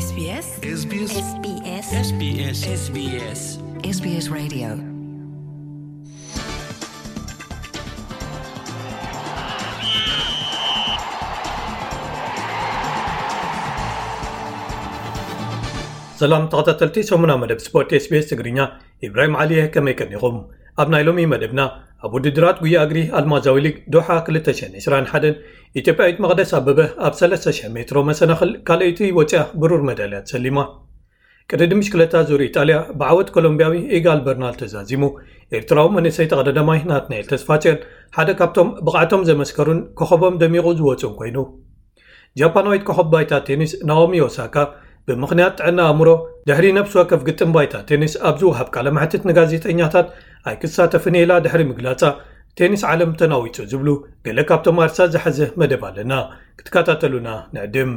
SBS SBS SBS SBS SBS SBS Radio. ሰላም ተኸታተልቲ ሰሙና መደብ ስፖርት SBS ትግርኛ፣ ኢብራሂም ዓሊ እየ። ከመይ ቀኒኹም? ኣብ ናይ ሎሚ መደብና፣ ኣብ ውድድራት ጉያ እግሪ ኣልማዛዊ ሊግ ዶሓ ክልተ ሽሕን ዕስራን ሓደን ኢትዮጵያዊት መቕደስ ኣበበ ኣብ ሰለስተ ሽሕ ሜትሮ መሰናኽል ካልኣይቲ ወፂኣ ብሩር መዳልያ ተሰሊማ። ቅድድም ብሽክለታ ዙር ኢጣልያ ብዓወት ኮሎምቢያዊ ኢጋል በርናል ተዛዚሙ። ኤርትራዊ መንእሰይ ተቐዳዳማይ ናትናኤል ተስፋጽዮን ሓደ ካብቶም ብቕዓቶም ዘመስከሩን ኮኸቦም ደሚቑ ዝወፁን ኮይኑ፣ ጃፓናዊት ኮኸብ ባይታ ቴኒስ ናኦሚ ኦሳካ ብምኽንያት ጥዕና ኣእምሮ ድሕሪ ነፍሲ ወከፍ ግጥም ባይታ ቴኒስ ኣብ ዝወሃብ ቃለ መሕትት ንጋዜጠኛታት ኣይክሳተፍን ኢላ ድሕሪ ምግላጻ፣ ቴኒስ ዓለም ተናዊጹ ዝብሉ ገለ ካብቶም ኣርሳ ዝሓዘ መደብ ኣለና። ክትከታተሉና ንዕድም።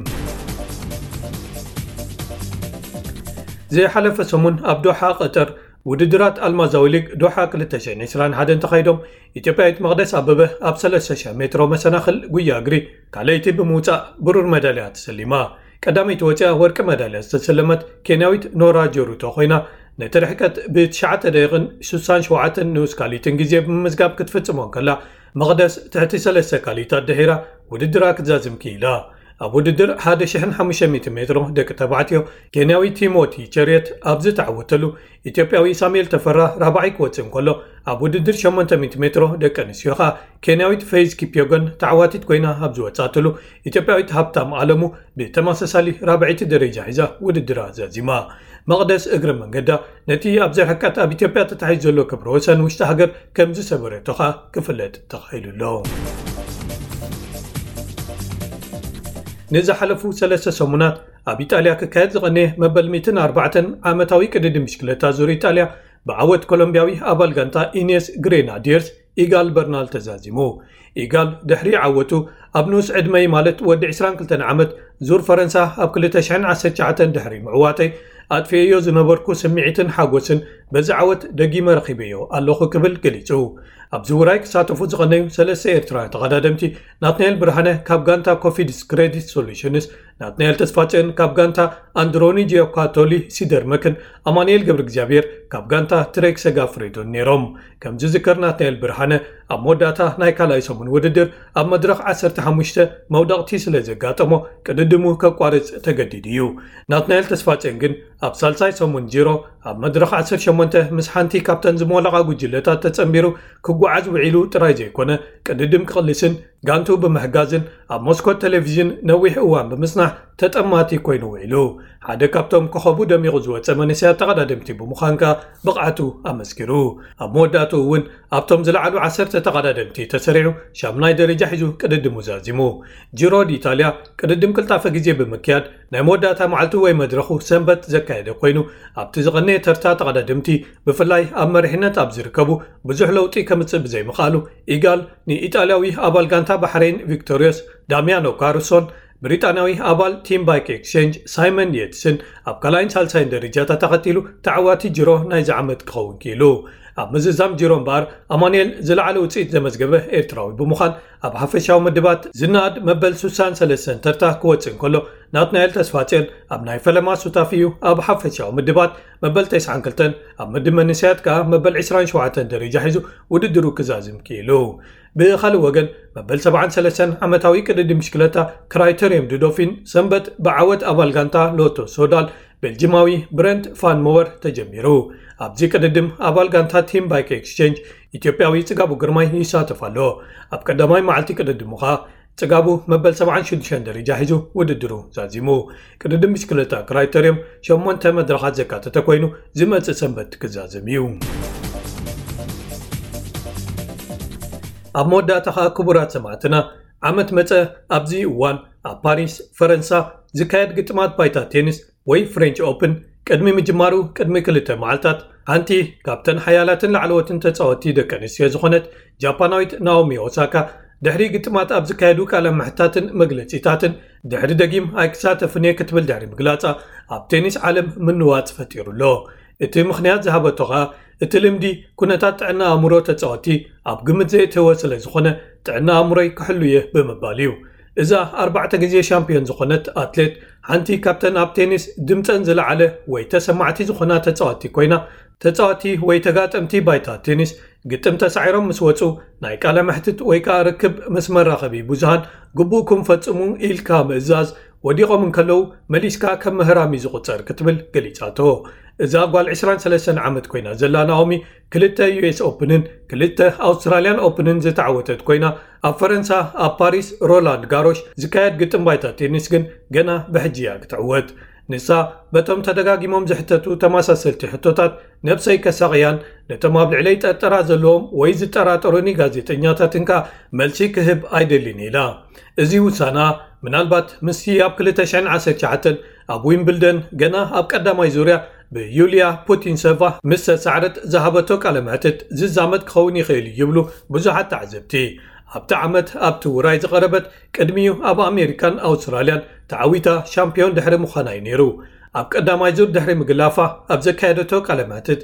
ዝሓለፈ ሰሙን ኣብ ዶሓ ቀጠር ውድድራት ኣልማዛዊ ሊግ ዶሓ ክልተ ሽሕን ዕስራን ሓደን ተኻይዶም። ኢትዮጵያዊት መቕደስ ኣበበ ኣብ ሰለስተ ሽሕ ሜትሮ መሰናኽል ጉያ እግሪ ካልኣይቲ ብምውጻእ ብሩር መዳልያ ተሰሊማ። ቀዳመይቲ ወጺኣ ወርቂ መዳልያ ዝተሰለመት ኬንያዊት ኖራ ጀሩቶ ኮይና፣ ነቲ ርሕቀት ብትሽዓተ ደቂቕን ስሳን ሸውዓተን ንኡስ ካልኢትን ግዜ ብምምዝጋብ ክትፍጽሞ እንከላ፣ መቕደስ ትሕቲ ሰለስተ ካልኢታት ድሒራ ውድድራ ክትዛዝም ክኢላ። ኣብ ውድድር ሓደ ሽሕን ሓሙሽተ ሚእቲ ሜትሮ ደቂ ተባዕትዮ፣ ኬንያዊ ቲሞቲ ቸርየት ኣብ ዝተዓወተሉ፣ ኢትዮጵያዊ ሳሙኤል ተፈራ ራብዓይ ክወጽእ እንከሎ፣ ኣብ ውድድር ሸሞንተ ሚእቲ ሜትሮ ደቂ ኣንስትዮ ኸኣ ኬንያዊት ፌዝ ኪፕዮጎን ተዓዋቲት ኮይና ኣብ ዝወጻትሉ፣ ኢትዮጵያዊት ሃብታም ኣለሙ ብተመሳሳሊ ራብዐይቲ ደረጃ ሒዛ ውድድራ ዛዚማ። መቕደስ እግረ መንገዳ ነቲ ኣብዚ ርሕቀት ኣብ ኢትዮጵያ ተታሒዙ ዘሎ ክብረ ወሰን ውሽጢ ሃገር ከም ዝሰበረቶ ኸኣ ክፍለጥ ተኻኢሉ ኣሎ። ንዝሓለፉ ሰለስተ ሰሙናት ኣብ ኢጣልያ ክካየድ ዝቐነየ መበል ሚእትን ኣርባዕተን ዓመታዊ ቅድድም ብሽክለታ ዙር ኢጣልያ ብዓወት ኮሎምቢያዊ ኣባል ጋንታ ኢኔስ ግሬናዲየርስ ኢጋል በርናል ተዛዚሙ። ኢጋል ድሕሪ ዓወቱ ኣብ ንኡስ ዕድመይ ማለት ወዲ ዕስራን ክልተን ዓመት ዙር ፈረንሳ ኣብ ክልተ ሽሕን ዓሰርተ ትሽዓተን ድሕሪ ምዕዋተይ ኣጥፊኤዮ ዝነበርኩ ስምዒትን ሓጎስን በዚ ዓወት ደጊመ ረኺበዮ ኣለኹ ክብል ገሊጹ። ኣብዚ ውራይ ክሳተፉ ዝቐነዩ ሰለስተ ኤርትራውያን ተቐዳደምቲ ናትናኤል ብርሃነ ካብ ጋንታ ኮፊድስ ክሬዲት ሶሉሽንስ፣ ናትናኤል ተስፋጽዮን ካብ ጋንታ ኣንድሮኒ ጂዮካቶሊ ሲደርመክን ኣማኑኤል ገብረ እግዚኣብሔር ካብ ጋንታ ትሬክ ሰጋ ፍሬዶን ነይሮም። ከም ዝዝከር ናትናኤል ብርሃነ ኣብ መወዳእታ ናይ ካልኣይ ሰሙን ውድድር ኣብ መድረኽ ዓሰርተ ሓሙሽተ መውደቕቲ ስለ ዘጋጠሞ ቅድድሙ ከቋርጽ ተገዲዱ እዩ። ናትናኤል ተስፋጽዮን ግን ኣብ ሳልሳይ ሰሙን ጂሮ ኣብ መድረኽ ዓሰርተ ሸሞንተ ምስ ሓንቲ ካብተን ዝሞለቓ ጉጅለታት ተጸንቢሩ ክጓዓዝ ውዒሉ ጥራይ ዘይኮነ ቅድድም ክቕልስን ጋንቱ ብምሕጋዝን ኣብ መስኮት ቴሌቪዥን ነዊሕ እዋን ብምጽናሕ ተጠማቲ ኮይኑ ውዒሉ። ሓደ ካብቶም ኮኸቡ ደሚቑ ዝወጸ መንእሰያት ተቐዳደምቲ ብምዃን ከኣ ብቕዓቱ ኣመስኪሩ። ኣብ መወዳእትኡ እውን ኣብቶም ዝለዓሉ ዓሰርተ ተቐዳደምቲ ተሰሪዑ ሻምናይ ደረጃ ሒዙ ቅድድሙ ዛዚሙ። ጂሮ ዲኢጣልያ ቅድድም ቅልጣፈ ግዜ ብምክያድ ናይ መወዳእታ መዓልቱ ወይ መድረኹ ሰንበት ዘካየደ ኮይኑ፣ ኣብቲ ዝቐነየ ተርታ ተቐዳደምቲ ብፍላይ ኣብ መሪሕነት ኣብ ዝርከቡ ብዙሕ ለውጢ ከምጽእ ብዘይምኽኣሉ፣ ኢጋል ንኢጣልያዊ ኣባል ጋንታ ባሕሬን ቪክቶሪዮስ ዳሚያኖ ካሩሶን ብሪጣንያዊ ኣባል ቲም ባይክ ኤክስቼንጅ ሳይመን የትስን ኣብ ካልኣይን ሳልሳይን ደረጃታት ተኸቲሉ ተዓዋቲ ጅሮ ናይዚ ዓመት ክኸውን ክኢሉ። ኣብ ምዝዛም ጅሮ እምበኣር ኣማኑኤል ዝለዓለ ውፅኢት ዘመዝገበ ኤርትራዊ ብምዃን ኣብ ሓፈሻዊ ምድባት ዝነኣድ መበል ስሳን ሰለስተን ተርታ ክወፅእ እንከሎ ናትናኤል ተስፋፅዮን ኣብ ናይ ፈለማ ሱታፊ እዩ ኣብ ሓፈሻዊ ምድባት መበል ተስዓን ክልተን ኣብ ምድብ መንእሰያት ከኣ መበል ዕስራን ሸውዓተን ደረጃ ሒዙ ውድድሩ ክዛዝም ክኢሉ። ብኻልእ ወገን መበል ሰብዓን ሰለስተን ዓመታዊ ቅድድም ብሽክለታ ክራይተርየም ድዶፊን ሰንበት ብዓወት ኣባል ጋንታ ሎቶ ሶዳል ቤልጅማዊ ብረንት ፋን ሞወር ተጀሚሩ። ኣብዚ ቅድድም ኣባል ጋንታ ቲም ባይክ ኤክስቼንጅ ኢትዮጵያዊ ጽጋቡ ግርማይ ይሳተፍ ኣሎ። ኣብ ቀዳማይ መዓልቲ ቅድድሙ ኸኣ ጽጋቡ መበል ሰብዓን ሽዱሽተን ደረጃ ሒዙ ውድድሩ ዛዚሙ። ቅድድም ብሽክለታ ክራይተርየም ሸሞንተ መድረኻት ዘካተተ ኮይኑ ዝመጽእ ሰንበት ክዛዘም እዩ። ኣብ መወዳእታ ኸኣ ክቡራት ሰማዕትና ዓመት መጸ ኣብዚ እዋን ኣብ ፓሪስ ፈረንሳ ዝካየድ ግጥማት ባይታ ቴኒስ ወይ ፍሬንች ኦፕን ቅድሚ ምጅማሩ ቅድሚ ክልተ መዓልታት ሓንቲ ካብተን ሓያላትን ላዕለዎትን ተጻወቲ ደቂ ኣንስትዮ ዝኾነት ጃፓናዊት ናኦሚ ኦሳካ ድሕሪ ግጥማት ኣብ ዝካየዱ ቃለ ምሕታትን መግለጺታትን ድሕሪ ደጊም ኣይክሳተፍን እየ ክትብል ድሕሪ ምግላጻ ኣብ ቴኒስ ዓለም ምንዋጽ ፈጢሩ ኣሎ። እቲ ምኽንያት ዝሃበቶ ኸኣ እቲ ልምዲ ኩነታት ጥዕና ኣእምሮ ተጻወቲ ኣብ ግምት ዘየእተወ ስለ ዝኾነ ጥዕና ኣእምሮይ ክሕሉ እየ ብምባል እዩ። እዛ ኣርባዕተ ግዜ ሻምፒዮን ዝኾነት ኣትሌት፣ ሓንቲ ካብተን ኣብ ቴኒስ ድምፀን ዝለዓለ ወይ ተሰማዕቲ ዝኾና ተፃወቲ ኮይና፣ ተፃወቲ ወይ ተጋጠምቲ ባይታ ቴኒስ ግጥም ተሳዒሮም ምስ ወፁ፣ ናይ ቃለ መሕትት ወይ ከዓ ርክብ ምስ መራኸቢ ብዙሃን ግቡእኩም ፈፅሙ ኢልካ ምእዛዝ፣ ወዲቖም እንከለዉ መሊስካ ከም ምህራም እዩ ዝቑፀር ክትብል ገሊጻቶ። እዛ ጓል ዕስራን ሰለስተን ዓመት ኮይና ዘላ ናኦሚ፣ ክልተ ዩ ኤስ ኦፕንን ክልተ ኣውስትራልያን ኦፕንን ዝተዓወተት ኮይና፣ ኣብ ፈረንሳ ኣብ ፓሪስ ሮላንድ ጋሮሽ ዝካየድ ግጥም ባይታ ቴኒስ ግን ገና ብሕጂ እያ ክትዕወት። ንሳ በቶም ተደጋጊሞም ዝሕተቱ ተመሳሰልቲ ሕቶታት ነብሰይ ከሳቕያን፣ ነቶም ኣብ ልዕለይ ጠርጠራ ዘለዎም ወይ ዝጠራጠሩኒ ጋዜጠኛታትን ከኣ መልሲ ክህብ ኣይደልን ኢላ። እዚ ውሳና ምናልባት ምስቲ ኣብ ክልተ ሽሕን ዓሰርተ ትሽዓተን ኣብ ዊምብልደን ገና ኣብ ቀዳማይ ዙርያ ብዩልያ ፑቲንሰቫ ምስ ተሳዕረት ዝሃበቶ ቃለ መሕትት ዝዛመድ ክኸውን ይኽእል እዩ ይብሉ ብዙሓት ተዓዘብቲ። ኣብቲ ዓመት ኣብቲ ውራይ ዝቐረበት ቅድሚኡ ኣብ ኣሜሪካን ኣውስትራልያን ተዓዊታ ሻምፒዮን ድሕሪ ምዃና እዩ ነይሩ። ኣብ ቀዳማይ ዙር ድሕሪ ምግላፋ ኣብ ዘካየደቶ ቃለ መሕትት፣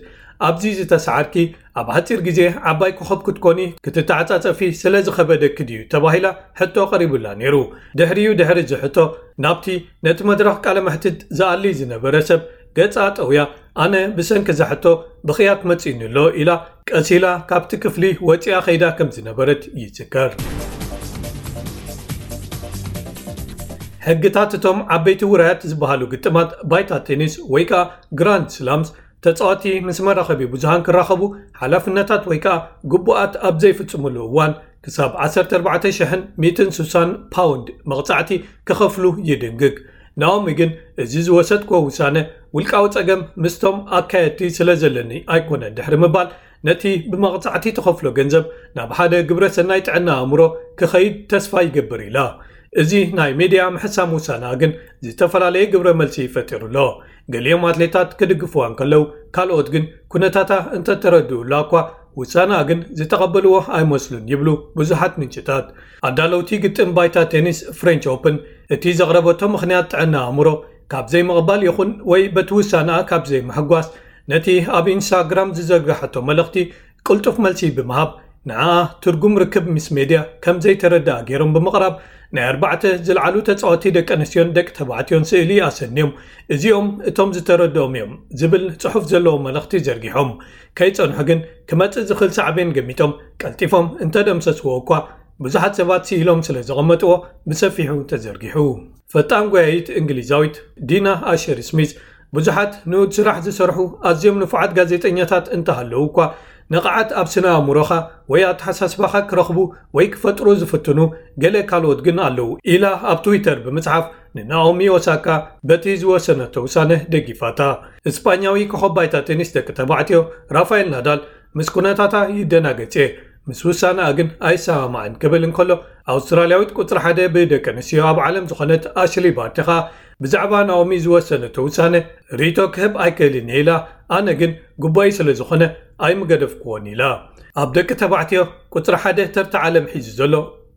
ኣብዚ ዝተሰዓርኪ ኣብ ሓፂር ግዜ ዓባይ ኮኸብ ክትኮኒ ክትተዓፃፀፊ ስለ ዝኸበደኪ ድዩ ተባሂላ ሕቶ ቀሪቡላ ነይሩ። ድሕሪኡ ድሕሪ እዚ ሕቶ ናብቲ ነቲ መድረኽ ቃለ መሕትት ዝኣሊ ዝነበረ ሰብ ገጻ ጠውያ፣ ኣነ ብሰንኪ እዛ ሕቶ ብኽያት መጺኡኒ ኣሎ ኢላ ቀሲላ ካብቲ ክፍሊ ወጺኣ ኸይዳ ከም ዝነበረት ይዝከር። ሕግታት እቶም ዓበይቲ ውራያት ዝበሃሉ ግጥማት ባይታ ቴኒስ ወይ ከኣ ግራንድ ስላምስ ተጻወቲ ምስ መራኸቢ ብዙሃን ክራኸቡ ሓላፍነታት ወይ ከኣ ግቡኣት ኣብ ዘይፍጽሙሉ እዋን ክሳብ ዓሰርተ ኣርባዕተ ሽሕን ሚእትን ስሳን ፓውንድ መቕጻዕቲ ክኸፍሉ ይድንግግ። ናኦሚ ግን እዚ ዝወሰድክዎ ውሳነ ውልቃዊ ጸገም ምስቶም ኣካየድቲ ስለ ዘለኒ ኣይኮነን ድሕሪ ምባል ነቲ ብመቕጻዕቲ ትኸፍሎ ገንዘብ ናብ ሓደ ግብረ ሰናይ ጥዕና ኣእምሮ ክኸይድ ተስፋ ይገብር ኢላ። እዚ ናይ ሜድያ ምሕሳም ውሳና ግን ዝተፈላለየ ግብረ መልሲ ፈጢሩ ኣሎ። ገሊኦም ኣትሌታት ክድግፍዋ እንከለዉ ካልኦት ግን ኩነታታ እንተተረድኡላ እኳ ውሳና ግን ዝተቐበልዎ ኣይመስሉን ይብሉ ብዙሓት ምንጭታት። ኣዳለውቲ ግጥም ባይታ ቴኒስ ፍሬንች ኦፕን እቲ ዘቕረበቶ ምኽንያት ጥዕና ኣእምሮ ካብ ዘይምቕባል ይኹን ወይ በቲ ውሳና ካብ ዘይምሕጓስ ነቲ ኣብ ኢንስታግራም ዝዘርጋሐቶ መልእኽቲ ቅልጡፍ መልሲ ብምሃብ ንዓ ትርጉም ርክብ ምስ ሜድያ ከም ዘይተረድኣ ገይሮም ብምቕራብ ናይ ኣርባዕተ ዝለዓሉ ተጻወቲ ደቂ ኣንስትዮን ደቂ ተባዕትዮን ስእሊ ኣሰንዮም እዚኦም እቶም ዝተረድኦም እዮም ዝብል ጽሑፍ ዘለዎ መልእኽቲ ዘርጊሖም። ከይጸንሑ ግን ክመጽእ ዝኽእል ሳዕቤን ገሚቶም ቀልጢፎም እንተደምሰስዎ እኳ ብዙሓት ሰባት ስኢሎም ስለ ዘቐመጥዎ ብሰፊሑ ተዘርጊሑ። ፈጣን ጎያይት እንግሊዛዊት ዲና ኣሸር ስሚዝ ብዙሓት ንኡድ ስራሕ ዝሰርሑ ኣዝዮም ንፉዓት ጋዜጠኛታት እንተሃለዉ እኳ ንቕዓት ኣብ ስነ ኣእምሮኻ ወይ ኣተሓሳስባኻ ክረኽቡ ወይ ክፈጥሩ ዝፍትኑ ገለ ካልኦት ግን ኣለዉ ኢላ ኣብ ትዊተር ብምጽሓፍ ንናኦሚ ኦሳካ በቲ ዝወሰነቶ ውሳነ ደጊፋታ። እስጳኛዊ ኮኸብ ባይታ ቴኒስ ደቂ ተባዕትዮ ራፋኤል ናዳል ምስ ኩነታታ ይደናገጽ እየ፣ ምስ ውሳነኣ ግን ኣይሰማማዕን ክብል እንከሎ ኣውስትራልያዊት ቁጽሪ ሓደ ብደቂ ኣንስትዮ ኣብ ዓለም ዝኾነት ኣሽሊ ባርቲ ኸኣ ብዛዕባ ናኦሚ ዝወሰነቶ ውሳነ ርእይቶ ክህብ ኣይክእልን እየ ኢላ፣ ኣነ ግን ግቡኣይ ስለ ዝኾነ ኣይምገደፍክዎን ኢላ። ኣብ ደቂ ተባዕትዮ ቁጽሪ ሓደ ተርታ ዓለም ሒዙ ዘሎ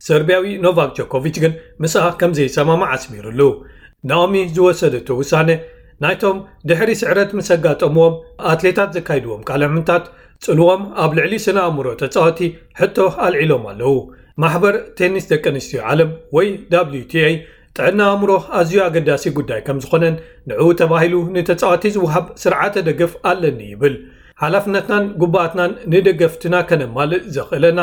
ሰርቢያዊ ኖቫክ ጆኮቪች ግን ምስኣ ከም ዘይሰማማዕ ኣስሚሩሉ። ናኦሚ ዝወሰደቶ ውሳነ ናይቶም ድሕሪ ስዕረት ምስ ኣጋጠምዎም ኣትሌታት ዘካይድዎም ቃለ ምሕታት ጽልዎም ኣብ ልዕሊ ስነ ኣእምሮ ተጻወቲ ሕቶ ኣልዒሎም ኣለዉ። ማሕበር ቴኒስ ደቂ ኣንስትዮ ዓለም ወይ ዳብሊዩ ቲ ኤ ጥዕና ኣእምሮ ኣዝዩ ኣገዳሲ ጉዳይ ከም ዝኾነን ንዕኡ ተባሂሉ ንተጻወቲ ዝወሃብ ስርዓተ ደገፍ ኣለኒ ይብል። ሓላፍነትናን ግቡኣትናን ንደገፍትና ከነማልእ ዘኽእለና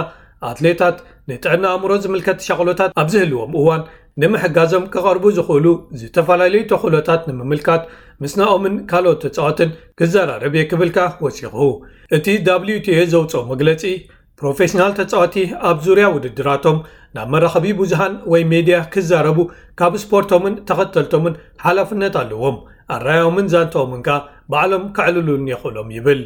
ኣትሌታት ንጥዕና ኣእምሮ ዝምልከት ሻቕሎታት ኣብ ዝህልዎም እዋን ንምሕጋዞም ክቐርቡ ዝኽእሉ ዝተፈላለዩ ተኽእሎታት ንምምልካት ምስ ናኦምን ካልኦት ተጻወትን ክዘራረብ እየ ክብል ከኣ ወሲኹ። እቲ ዳብሊዩ ቲ ኤ ዘውጽኦ መግለጺ ፕሮፌሽናል ተጻወቲ ኣብ ዙርያ ውድድራቶም ናብ መራኸቢ ብዙሃን ወይ ሜድያ ክዛረቡ ካብ ስፖርቶምን ተኸተልቶምን ሓላፍነት ኣለዎም። ኣራያኦምን ዛንታኦምን ከኣ ባዕሎም ከዕልሉን የኽእሎም ይብል።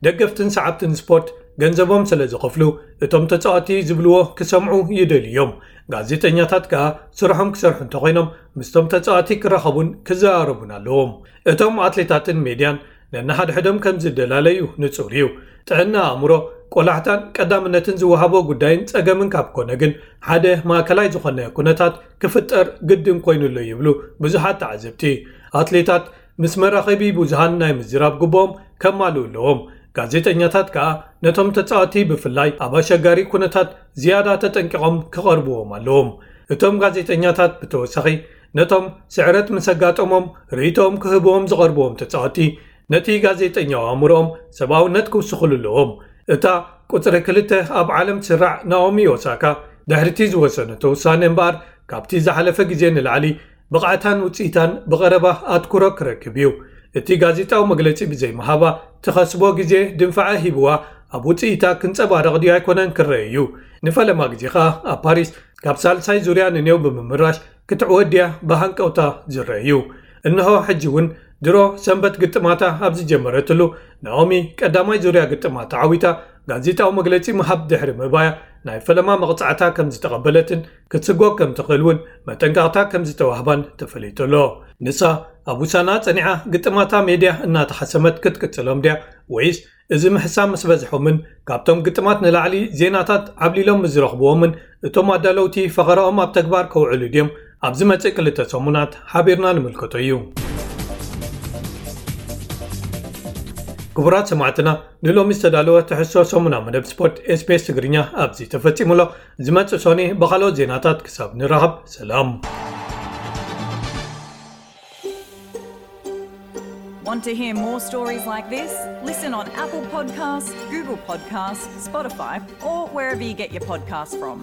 ደገፍትን ሰዓብትን ስፖርት ገንዘቦም ስለ ዝኸፍሉ እቶም ተጻወቲ ዝብልዎ ክሰምዑ ይደልዩ እዮም። ጋዜጠኛታት ከኣ ስርሖም ክሰርሑ እንተኾይኖም ምስቶም ተጻወቲ ክራኸቡን ክዘራረቡን ኣለዎም። እቶም ኣትሌታትን ሜድያን ነንሓድሕዶም ከም ዝደላለዩ ንጹር እዩ። ጥዕና ኣእምሮ ቆላሕታን ቀዳምነትን ዝወሃቦ ጉዳይን ጸገምን ካብ ኮነ ግን ሓደ ማእከላይ ዝኾነ ኩነታት ክፍጠር ግድን ኮይኑ ኣሎ ይብሉ ብዙሓት ተዓዘብቲ። ኣትሌታት ምስ መራኸቢ ብዙሃን ናይ ምዝራብ ግብኦም ከማልኡ ኣለዎም። ጋዜጠኛታት ከኣ ነቶም ተጻወቲ ብፍላይ ኣብ ኣሸጋሪ ኩነታት ዝያዳ ተጠንቂቖም ክቐርብዎም ኣለዎም። እቶም ጋዜጠኛታት ብተወሳኺ ነቶም ስዕረት ምስ ኣጋጠሞም ርእይቶኦም ክህብዎም ዝቐርብዎም ተጻወቲ ነቲ ጋዜጠኛዊ ኣእምሮኦም ሰብኣውነት ክውስኹሉ ኣለዎም። እታ ቁጽሪ ክልተ ኣብ ዓለም ትስራዕ ናኦሚ ኦሳካ ድሕሪቲ ዝወሰነቶ ውሳነ እምበኣር ካብቲ ዝሓለፈ ግዜ ንላዕሊ ብቕዓታን ውጽኢታን ብቐረባ ኣትኩሮ ክረክብ እዩ። እቲ ጋዜጣዊ መግለጺ ብዘይምሃባ ትኸስቦ ግዜ ድንፋዐ ሂብዋ ኣብ ውጽኢታ ክንጸባረቕ ድዩ ኣይኮነን ክረአ እዩ። ንፈለማ ግዜ ኸኣ ኣብ ፓሪስ ካብ ሳልሳይ ዙርያ ንኔው ብምምራሽ ክትዕወት ድያ ብሃንቀውታ ዝረአ እዩ። እንሆ ሕጂ እውን ድሮ ሰንበት ግጥማታ ኣብ ዝጀመረትሉ ናኦሚ ቀዳማይ ዙርያ ግጥማት ተዓዊታ ጋዜጣዊ መግለጺ ምሃብ ድሕሪ ምባያ ናይ ፈለማ መቕጻዕታ ከም ዝተቐበለትን ክትስጎግ ከም ትኽእል እውን መጠንቀቕታ ከም ዝተዋህባን ተፈሊጡ ኣሎ። ንሳ ኣብ ውሳና ጸኒዓ ግጥማታ ሜድያ እናተሓሰመት ክትቅጽሎም ድያ ወይስ እዚ ምሕሳም ምስ በዝሖምን ካብቶም ግጥማት ንላዕሊ ዜናታት ዓብሊሎም ምስ ዝረኽብዎምን እቶም ኣዳለውቲ ፈኸራኦም ኣብ ተግባር ከውዕሉ ድዮም ኣብ ዝመጽእ ክልተ ሰሙናት ሓቢርና ንምልከቶ እዩ። ክቡራት ሰማዕትና ንሎሚ ዝተዳለወ ትሕዝቶ ሰሙና መደብ ስፖርት ኤስቤስ ትግርኛ ኣብዚ ተፈጺሙ ኣሎ። ዝመጽእ ሶኒ ብኻልኦት ዜናታት ክሳብ ንራኸብ ሰላም። Want to hear more stories like this? Listen on Apple Podcasts, Google Podcasts, Spotify, or wherever you get your podcasts from.